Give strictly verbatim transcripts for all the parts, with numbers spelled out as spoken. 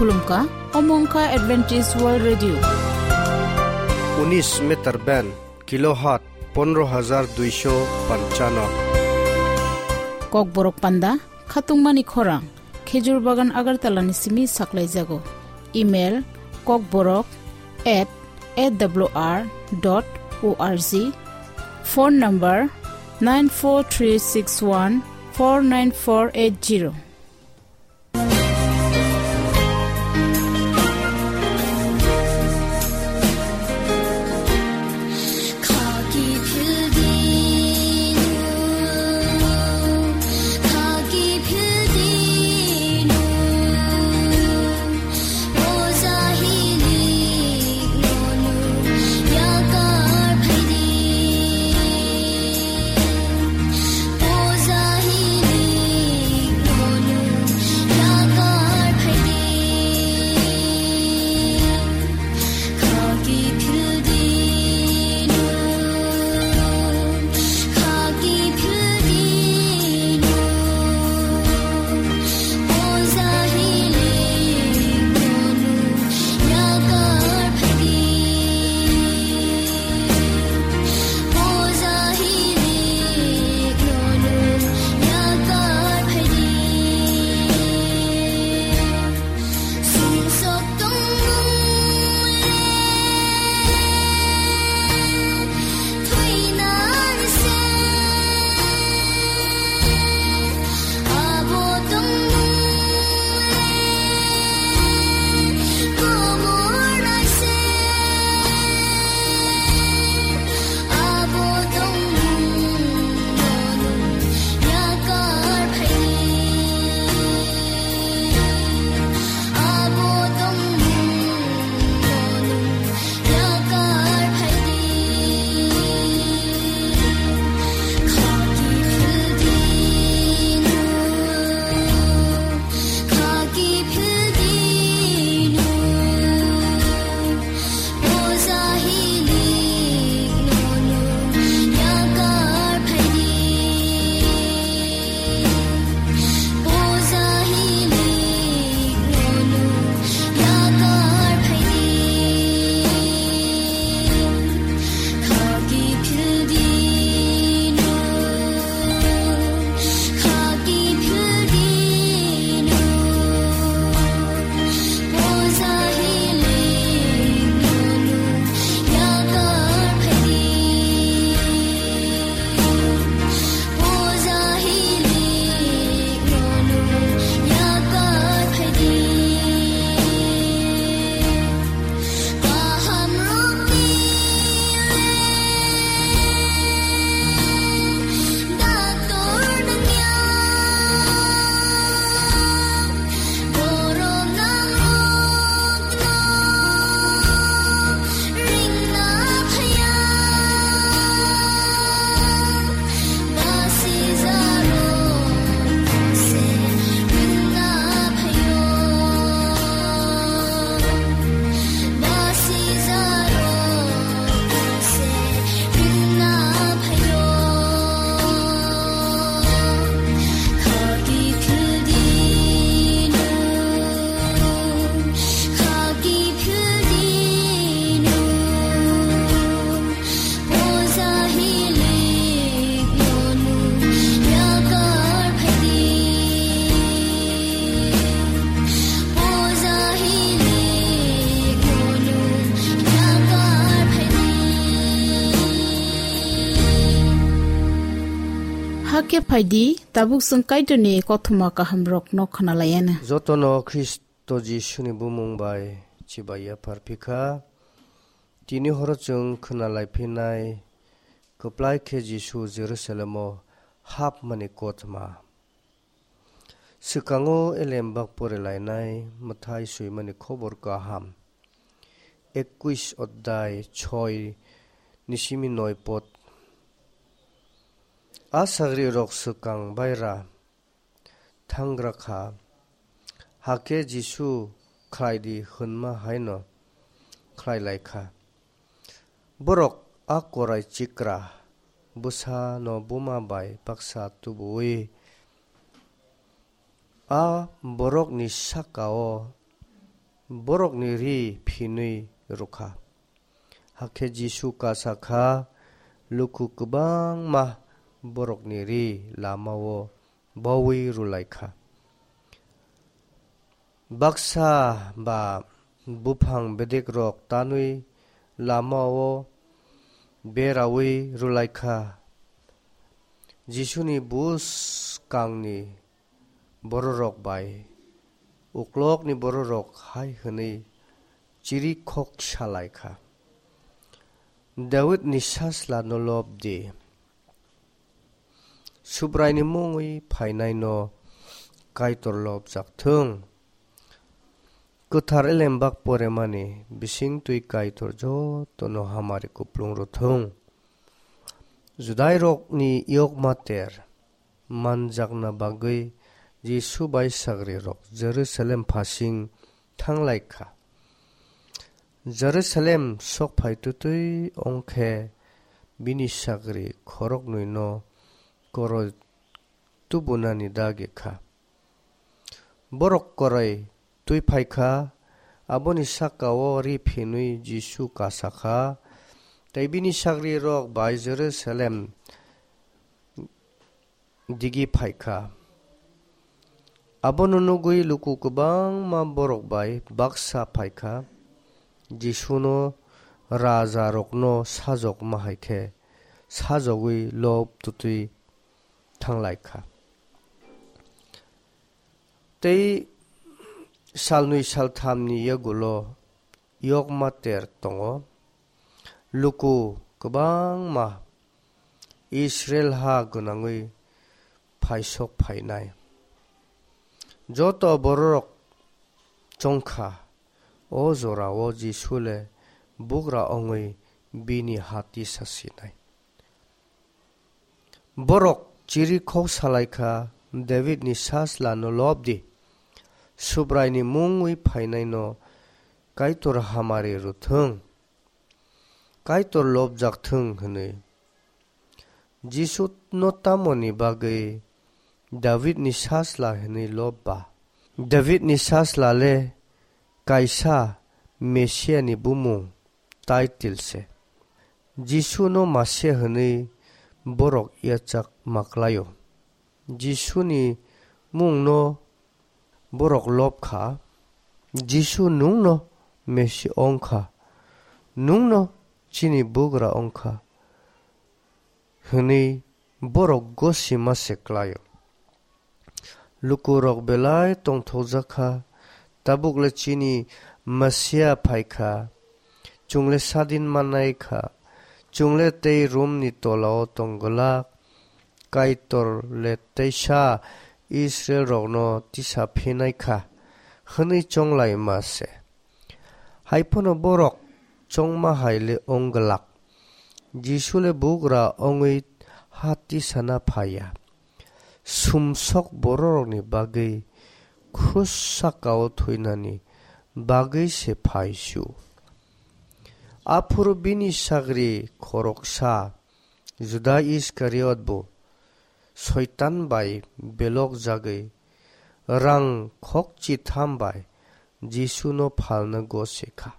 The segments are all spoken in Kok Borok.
Khulumkha, omo wngkha Adventist World Radio. Unis meter band, kilohertz pondro hajar duisho panchano. Kokborok panda, khatungmani khorang, Khejur Bagan Agartala ni simi saklaijago. Email, kokborok at A W R dot O R G. Phone number, nine four three six one four nine four eight zero. Hakhe phaidi, tabuk chwng Kaitorni kothoma kahamrokno khwnalaianw. Jotono Khristo Jisuni bumung bai chibai yaphar phikha. Tini horo chwng khwnalaiphinai, kwplai khe Jisu Jerusalemo hapmani kothoma. Swkango elembak porilainai mwthai swimani khobor kaham, ekwis odhyay, soi ni simi noi pod. A sagrirok swkang baira thangra kha, hakhe Jisu khlai di hwnma haino khlai lai kha. Borok a korai chikra bwsano buma bai baksa tubu-ui a borokni saka-o borokni ri phinwi rwkha. Hakhe Jisu kasa kha, luku kwbangma borokni ri lamao baui rwlai kha. Baksa ba buphang bedekrok tanwi lamao beraui rwlai kha. Jisuni buskangni bororok bai uklokni bororok hai hwnwi chirikhok salai kha, "Davidni sajlano lob di. Subraini mungwi phainaino Kaitor lobjak thung." Kwthar elembak poremani bising twi Kaitor jotono hamari kuplung rw thung. Judairokni yokma ter manjakna bagwi Jisu bai sagrirok Jerusalem phasing thanglai kha. Jerusalem sok phai twtwi wng khe bini sagri khoroknwino koroi tubunani dagi kha. Borok koroi twi phai kha, aboni saka-o ri phinwi Jisu kasa kha, tei bini sagrirok bai Jerusalem digi phai kha. Abono nugwi luku kwbangma borok bai baksa phai kha, Jisuno rajarokno sajokma hai khe sajogwi lob twtwi thanglai kha. Tei salnwi salthamni yagulo yokma ter tongo. Luku kwbangma Israil ha gwnangwi phaisok phainai. Joto bororok chongkha, o jorao Jisu le bugra wngwi bini hati sasinai. Borok chirikhok salai kha, "Davidni sajlano lob di. Subraini mungwi phainaino Kaitor hamari rw thung. Kaitor lobjak thung," hwnwi. Jisuno tamoni bagwi Davidni sajla hwnwi lob ba? Davidni sajla le kaisa Mesiani bumung, title se. Jisuno Masia hwnwi borok yachak ma klaio. Jisuni mungno borok lob kha. "Jisu, nwngno Mesi wng kha, nwngno chini bugra wng kha," hwnwi borok gosima se klaio. Lukurok belai tongthokjak kha, "Tabukle chini Masia phai kha, chwngle sadin mannai kha, chwngle tei Romni tolao tong glak, Kaitor le teisa Israilrokno tisa phinai kha," hwnwi chonglaima se. Hai phano borok chongma hai le wng glak. Jisu le bugra wngwi ha tisana phai ya. Sumsok bororokni bagwi khus saka-o thwinani bagwi se phai su. Aphuru bini sagri khoroksa Juda Iskariot bo Soitan bai belok jagwi rang khokchi tham bai Jisuno phalna gose kha.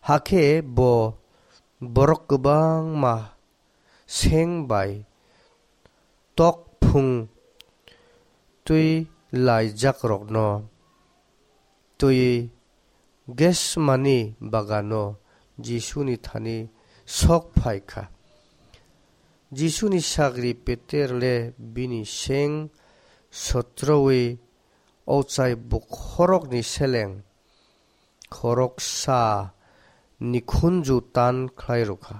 Hakhe bo borok kwbangma seng bai tokphung twi laijakrokno twiwi Gesmani bagano Jisuni thani sok phai kha. Jisuni sagri Peter le bini seng sotrowi ochai bukhorokni seleng khoroksa nikhunju tan khlai rw kha.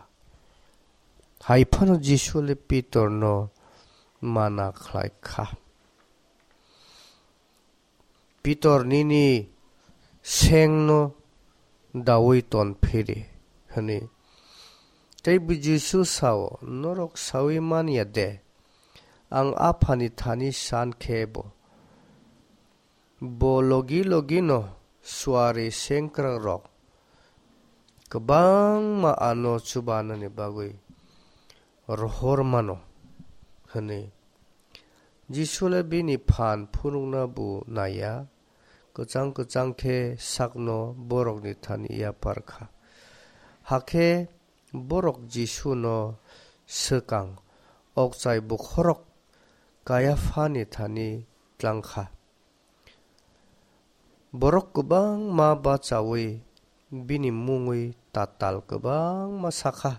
Hai phano Jisu le Pitorno mana khlai kha, "Pitor, nini sengno daui ton phiri," hwnwi. Tei bo Jisu sao, "Norok saui man ya de, ang Aphani thani san khe bo." Bo logi logi no suari sengkrakrok kwbangma ano chubanani bagwi rohor mano, hwnwi. Jisu le bini phan phunukna bo naiya, kwchang kwchang khe sakno borokni thani yapar kha. Hakhe borok Jisuno swkang okchai bokhorok Kaiaphani thani tlang kha. Borok kwbangma bachaui bini mungwi tatal kwbangma sakha,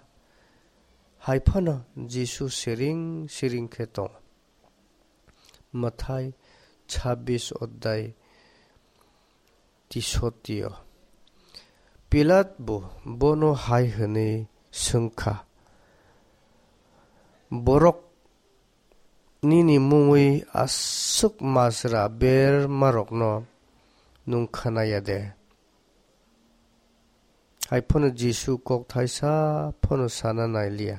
hai phano Jisu siring siring khe tongo. Mathai chabbish odhyay tisotio. Pilat bo bono hai hwnwi swngkha, "Borok nini mungwi aswk majra bermarokno nwng khna ya de?" Hai phano Jisu kok thaisa phano sana nai liya.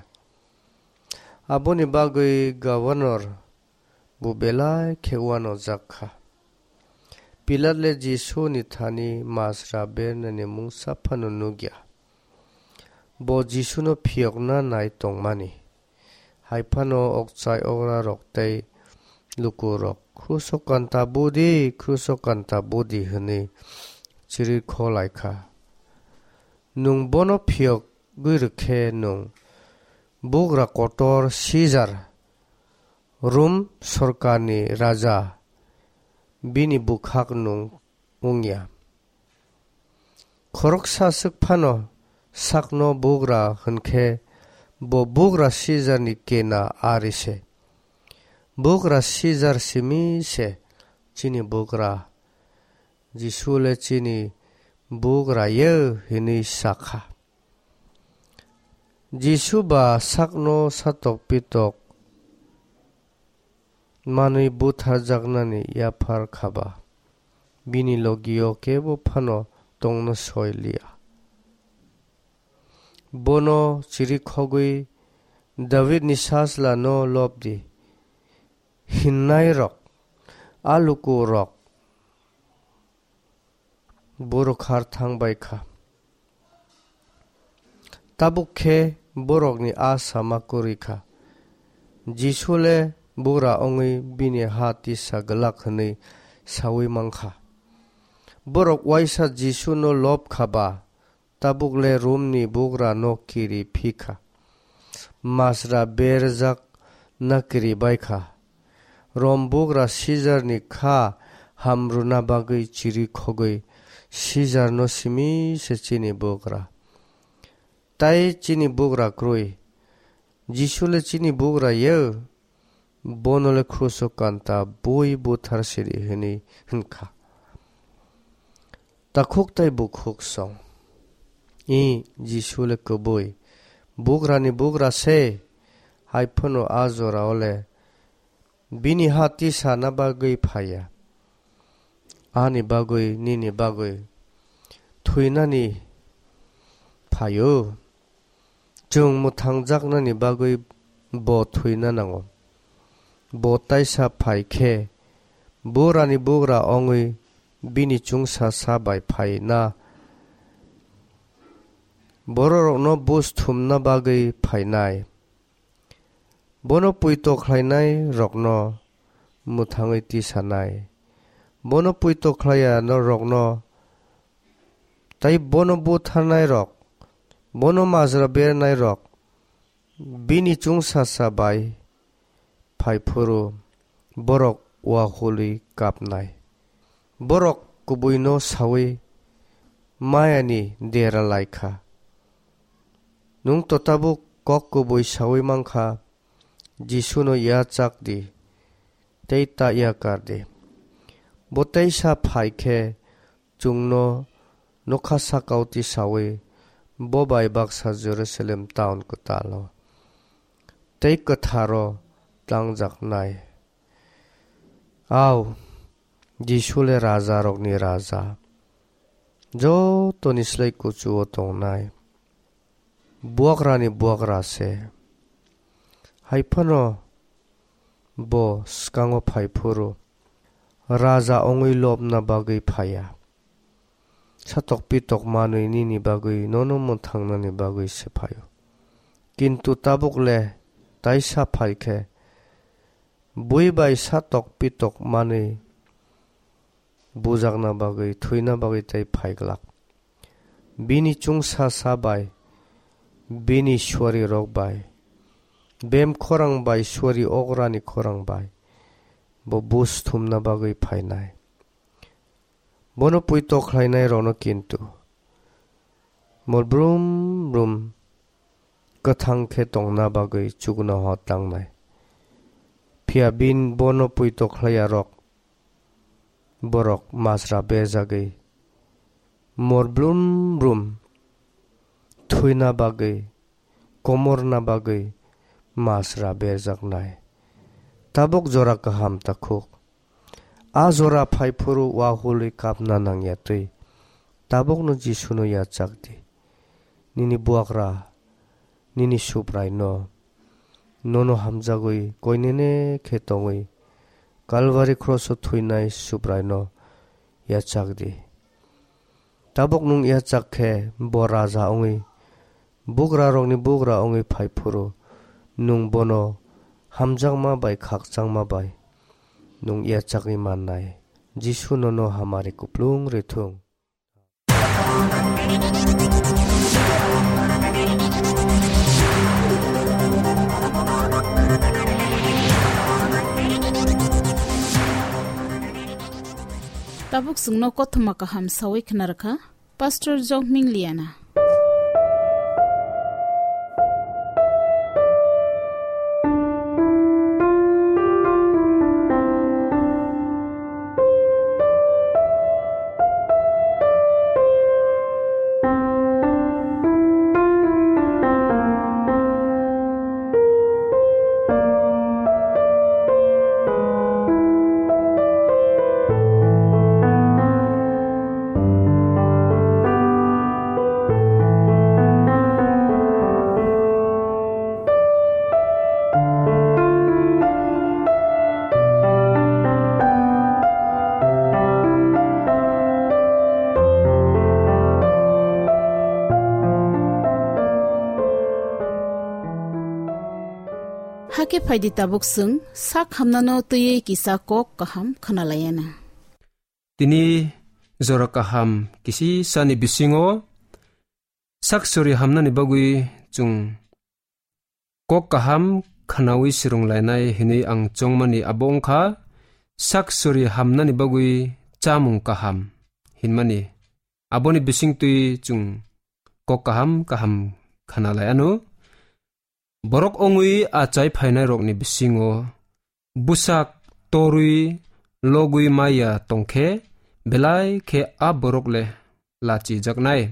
Aboni bagwi governor bo belai khe uanojak kha. Pilat le Jisuni thani majra bernani mungsa phano nukya. Bo Jisuno phiyokna nai tongmani. Hai phano okchai okrarok tei lukurok, "Kruso kanta budi, kruso kanta budi," hwnwi chirwi kho lai kha. "Nwng bono phiyogwi rw khe nwng bugra kotor Sijar, Rum sorkarni raja, bini bwkhak nwng wng ya." Khoroksa swk phano sakno bugra hwn khe bo bugra Sijarni kena ari se. Bugra Sijar simi se chini bugra. Jisu le chini bugra ye hwnwi sa kha. Jisu ba sakno satok pitok manwi butharjaknani yaphar kha ba, bini logio kebo phano tongna soi liya. Bono chirikhogwi Davidni sajlano lob di, hinnairok, a lukurok, borok har thang bai kha. Tabuk khe borokni a sama kwrwi kha. Jisu le bugra wngwi bini ha tisa glak hwnwi saui man kha. Borok uaisa Jisuno lob kha ba, tabuk le Romni bugrano kiri phi kha. Majra berjak na kiri bai kha. Rom bugra Sijarni kha ham rwna bagwi chiri khogwi, "Sijarno simi se chini bugra, tai chini bugra kwrwi. Jisu le chini bugra ye, bono le kruso kanta bui buthar sidi," hwnwi hwn kha. Takhuk tai bukhuk song. I Jisu le kwbui bugrani bugra se, hai phano a jorao le bini ha tisana bagwi phaiya. Ani bagwi, nini bagwi thwinani phaio. Chwng mwthangjaknani bagwi bo thwina nango. Bo taisa phai khe, burani bugra wngwi bini chwngsa sa bai phaina, bororokno buj thumna bagwi phainai. Bono poito khlainairokno mwthangwi tisanai. Bono poito khlaiya no rokno, tai bono butharnairok, bono majra bernairok, bini chwngsa sa bai phai phuru borok uakhului kapnai. Borok kubuino saui mayani dera lai kha. Nwng to tabuk kok kubui saui man kha, Jisuno yachak di, tei ta yakar di. Bo teisa phai khe chwngno nokha sakao tisaui bo bai baksa Jerusalem town kwtalo tei kwtharo twlangjaknai. Au, Jisu le rajarokni Raja, jotoni slai kuchuo tongnai. Buagrani buagra se. Hai phano bo swkango phai phuru raja wngwi lobna bagwi phaiya. Satok pitok manwi nini bagwi, nono mwthangnani bagwi se phaio. Kintu tabuk le taisa phai khe, bui bai satok pitok manwi bujakna bagwi, thwina bagwi tei phaiglak. Bini chwngsa sa bai, bini suarirok bai, bem khorang bai, suari okrani khorang bai bo buj thumna bagwi phainai. Bono puito khlainairokno kintu mol brum brum kwthang khe tongna bagwi chuknoho tangnai. Phiya bini bono puito khlaiyarok borok masra berjagwi mol brum brum thwina bagwi, komorna bagwi masra berjaknai. Tabuk jora kaham takhuk. A jora phaiphuru wahului kapna nangya twi. Tabukno Jisuno yachak di. Nini buakra, nini Subraino, nono hamjagwi koinene khe tongwi Kalvari kroso thwinai Subraino yachak di. Tabuk nwng yachak khe bo Raja wngwi, bugrarokni bugra wngwi phaiphuru, nwng bono hamjakma bai khakchangma bai nwng yachagwi mannai. Jisu nono hamari kuplung rwthung. Tabuk chwngno kothoma kaham sawi khna rwkha Pastor Jokming Liana. Hakhe phaidi tabuk chwng sak hamnano twiwi kisa kok kaham khwnalaiyana. Tini jora kaham kisisani bisingo sak sori hamnani bagwi chwng kok kaham khwnawi swrwnglainai hinwi ang chongmani abo wngkha sak sori hamnani bagwi chamung kaham hinmani. Aboni bisingtwi chwng kok kaham kaham khwnalai anw. Borok wngwi achai phainairokni bisingo bwsak torwi logwi maya tongkhe, belai khe a borok le lachijaknai.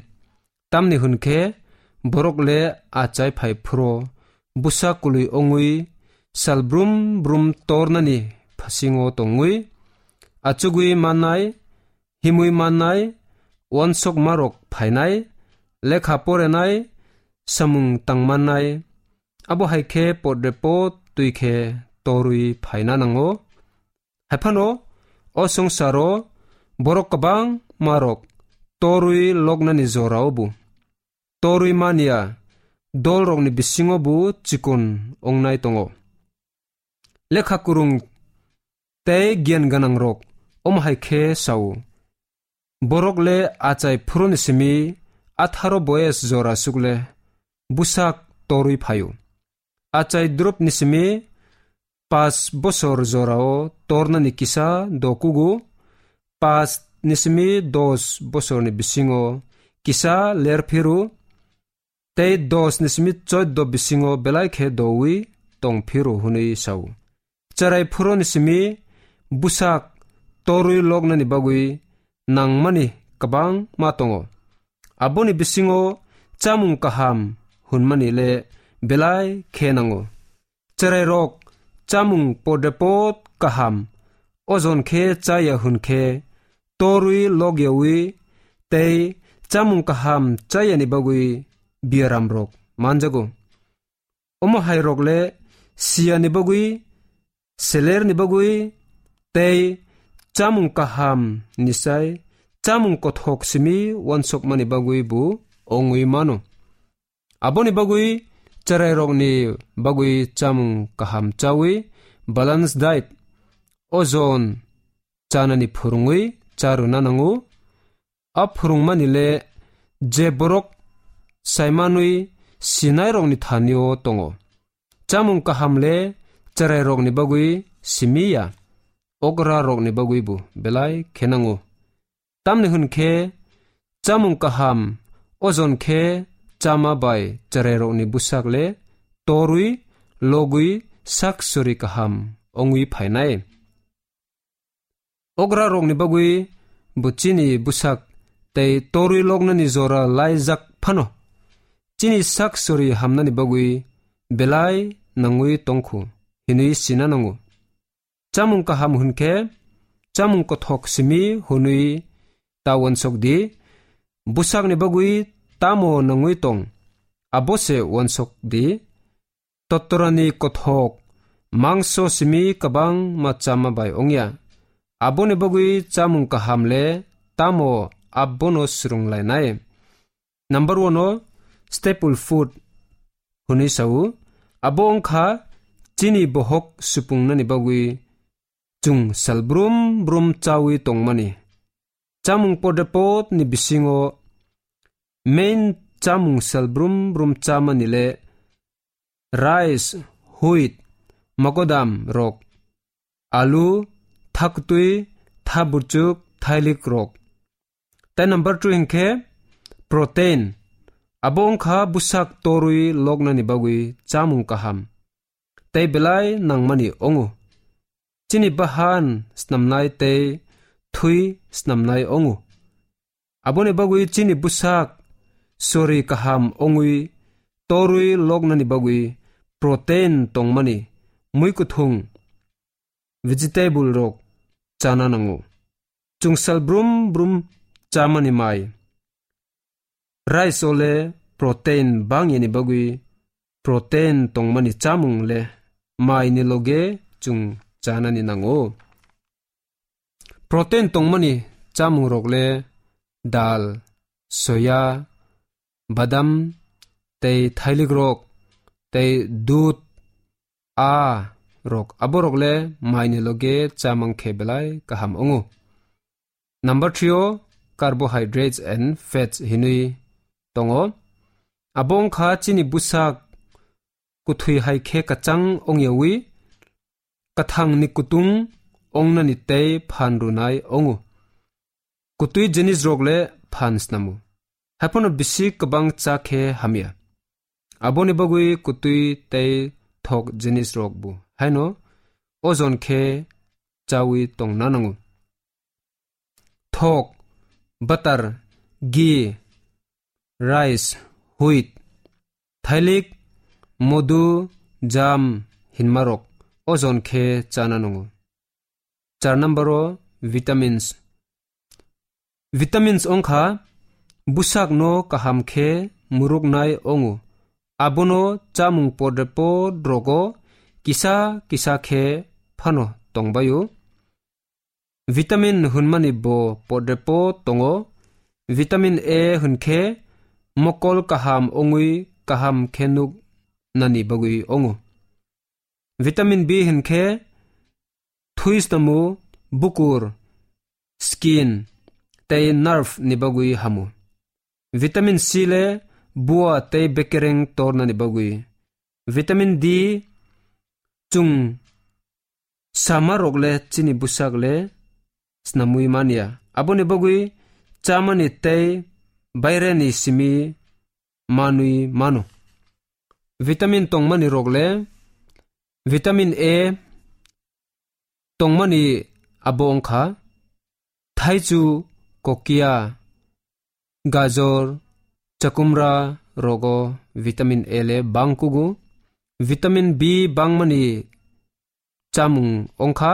Tamni hwn khe borok le achai phai phuru bwsak kwlwi wngwi sal brum brum tornani phasingo tongwi achugwi mannai, himwi mannai, uansukmarok phainai, lekha porenai, samung tangmannai, abo hai khe podre pod twi khe torwi phaina nango. Haiphano o swngcharo borok kwbangmarok torwi loknani jorao bo torwi manya dolrokni bisingo bo chikon wngnai tongo. Lekha kwrwng tei giyan gwnangrok omo hai khe sao, borok le achai phuruni simi atharo boyes jora suk le bwsak torwi phaio. Achai dropni simi paanch bosor jorao tornani kisa dokugo, paanch ni simi dos bosorni bisingo kisa ler phiru, tei dos ni simi choddo bisingo belai khe dowi tong phiru hwnwi sao. Cherai phuruni simi bwsak torwi loknani bagwi nangmani kwbangma tongo. Aboni bisingo chamung kaham hwnmani le belai khe nango. Cherairok chamung podepot kaham ojon khe chaya hwn khe torwi logyawi tei chamung kaham chayani bagwi biaramrok manjago. Omo hairok le siyani bagwi, selerni bagwi tei chamung kaham ni sai chamung kothok simi uansukmani bagwi bo ongwi mano. Aboni bagwi cherairokni bagwi chamung kaham chawi, balance diet, ojon chanani phwrwngwi cha rwna nango. A phwrwngmani le je borok saimanwi sinairokni thani-o tongo. Chamung kaham le chwrairokni bagwi simi ya, okrarokni bagwibo belai khe nango. Tamni hwn khe chamung kaham ojon khe chama bai chwrairokni bwsak le torwi logwi sak sori kaham wngwi phainai. Okrarokni bagwi bo chini bwsak tei torwi loknani jora laijak phano, chini sak sori hamnani bagwi belai nangwi tongkhu hinwi sina nango. Chamung kaham hwn khe chamung kothok simi hwnwi ta uansuk di, bwsakni bagwi tamo nangwi tong, abo se uansuk di. Totorani kothok mangso simi kwbangma chama bai wngya, aboni bagwi chamung kaham le tamo abono swrwnglainai. Number one o staple food hwnwi sao, abo wngkha chini bohok supungnani bagwi chwng sal brum brum chawi tongmani. Chamung podepot ni bisingo main chamung sal brum brum chamani le rice, wheat, mogodam rok, alu, thaktwi, thaburchuk, thailik rok. Tei number two hinkhe protein. Abo wngkha bwsak torwi loknani bagwi chamung kaham tei belai nangmani ongo. Chini bahan snamnai tei thwi snamnai ongo. Aboni bagwi chini bwsak sori kaham wngwi torwi loknani bagwi protein tongmani muikwthwng vegetable rok chana nango. Chwng sal brum brum chamani mai. Rice o le protein bangyani bagwi protein tongmani chamung le maini loge chwng chanani nango. Protein tongmani chamung rok le dal, soya, badam, tei thailik rok, tei dud, a rok, aborok le maini loge chamang khe belai kaham ongo. Number three o carbohydrates and fats hinwi tongo. Abo wngkha chini bwsak kwthwi hai khe kwchang ongyawi, kwthang ni kutung ongnani tei phan rwnai ongo. Kwtwi jinis rok le phan snamo. Haiphano bisi kwbang cha khe hamya. Aboni bagwi kwtwi tei thok jinis rok bo haino ojon khe chawi tongna nango. Thok, butter, ghee, rice, wheat, thailik, modu, jam hinma rok ojon khe chana nango. Char number o vitamins. Vitamins wngkha bwsak no kaham khe muruknai ongo. Abono chamung podre pod rogo kisa kisa khe phano tongbaio. Vitamin hwnmani bo podre pod tongo. Vitamin A hwn khe mokol kaham wngwi kaham khe nuk nani bagwi ongo. Vitamin B hwn khe thwi snamo, bukur, skin tei nerve ni bagwi hamo. Vitamin C le bua tei bekereng tornani bagwi. Vitamin D chwng sama rok le chini bwsak le snamwi manya. Aboni bagwi chamani tei baireni simi manwi mano. Vitamin tongmani rok le vitamin A tongmani abo wngkha thaichu, kokia, gajor, chakumra rogo vitamin A le bangkugo. Vitamin B bangmani chamung wngkha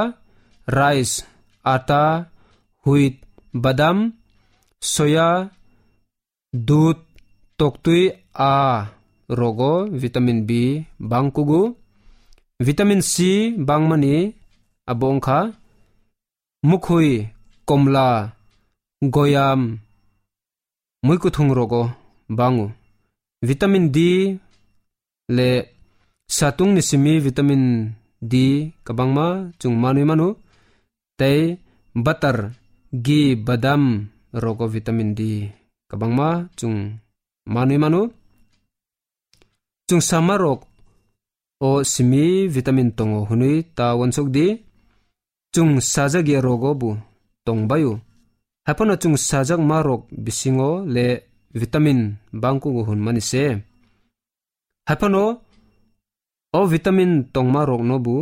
rice, ata, wheat, badam, soya, dud, toktwi a rogo vitamin B bangkugo. Vitamin C bangmani abo wngkha mukhwi, komla, goyam, muikwthwng rogo bango. Vitamin D le satung ni simi vitamin D kwbangma chwng manwi mano, tei butter ghee, badam rogo vitamin D kwbangma chwng manwi mano. Chwng sama rok o simi vitamin tongo hwnwi ta uansuk di. Chwng sajak ya rogo bo tong baio. Haiphano chwng sajak ma rok bisingo le vitamin bangkugo hwnmani se. Haiphano o vitamin tongma rokno bo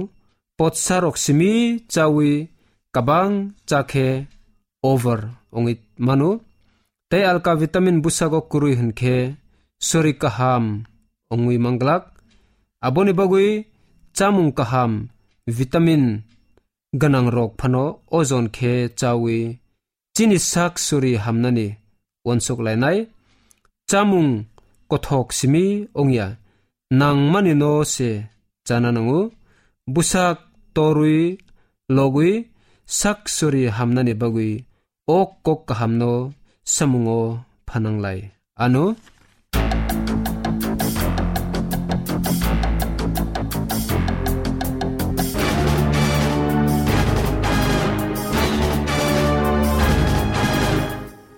potsa rok simi chawi kabang chakhe over ongwi mano. Tei alka vitamin busago kwrwi hwnkhe sori kaham ongwi manglak. Aboni bagwi chamung kaham vitamin gwnang rok phano ojon khe chawi chini sak sori hamnani uansuk lainai. Chamung kothok simi ongya, nangmani no se chana nango. Busak torwi logwi sak sori hamnani bagwi o kok kahamno samungo phananglai. Ano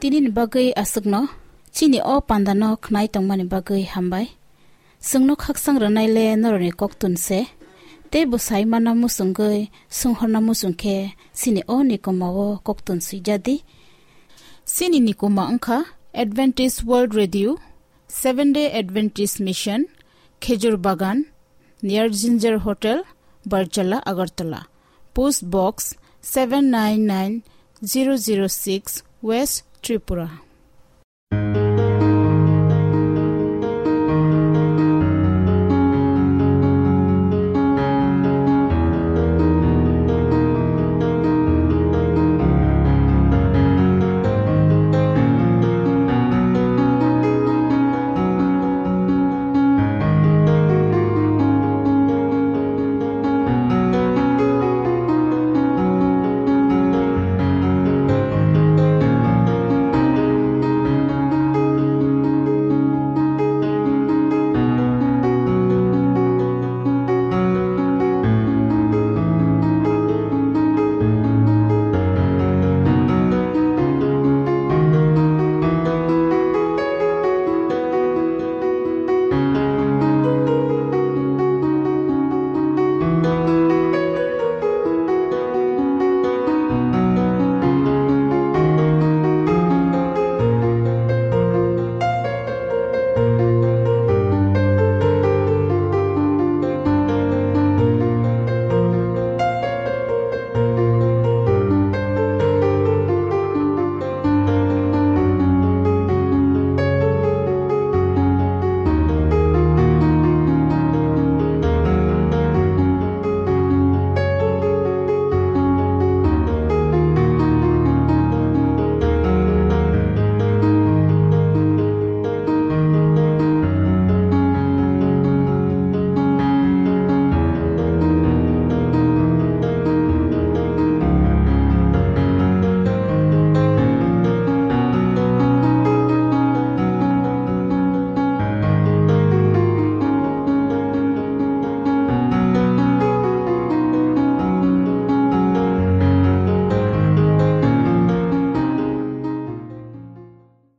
tini ni bagwi aswkno, chini o panda no khnai tongmani bagwi hambai. Chwngno khaksang rwnai le norokni koktun se, tei bwsai mana muchungwi sunghorna muchung khe chini o nikoma o koktun swijadi. Chini nikoma wngkha Adventist World Radio, Seventh Day Adventist Mission, Khejur Bagan, near Ginger Hotel, Barjala, Agartala. Post Box seven nine nine zero zero six, West Tripura.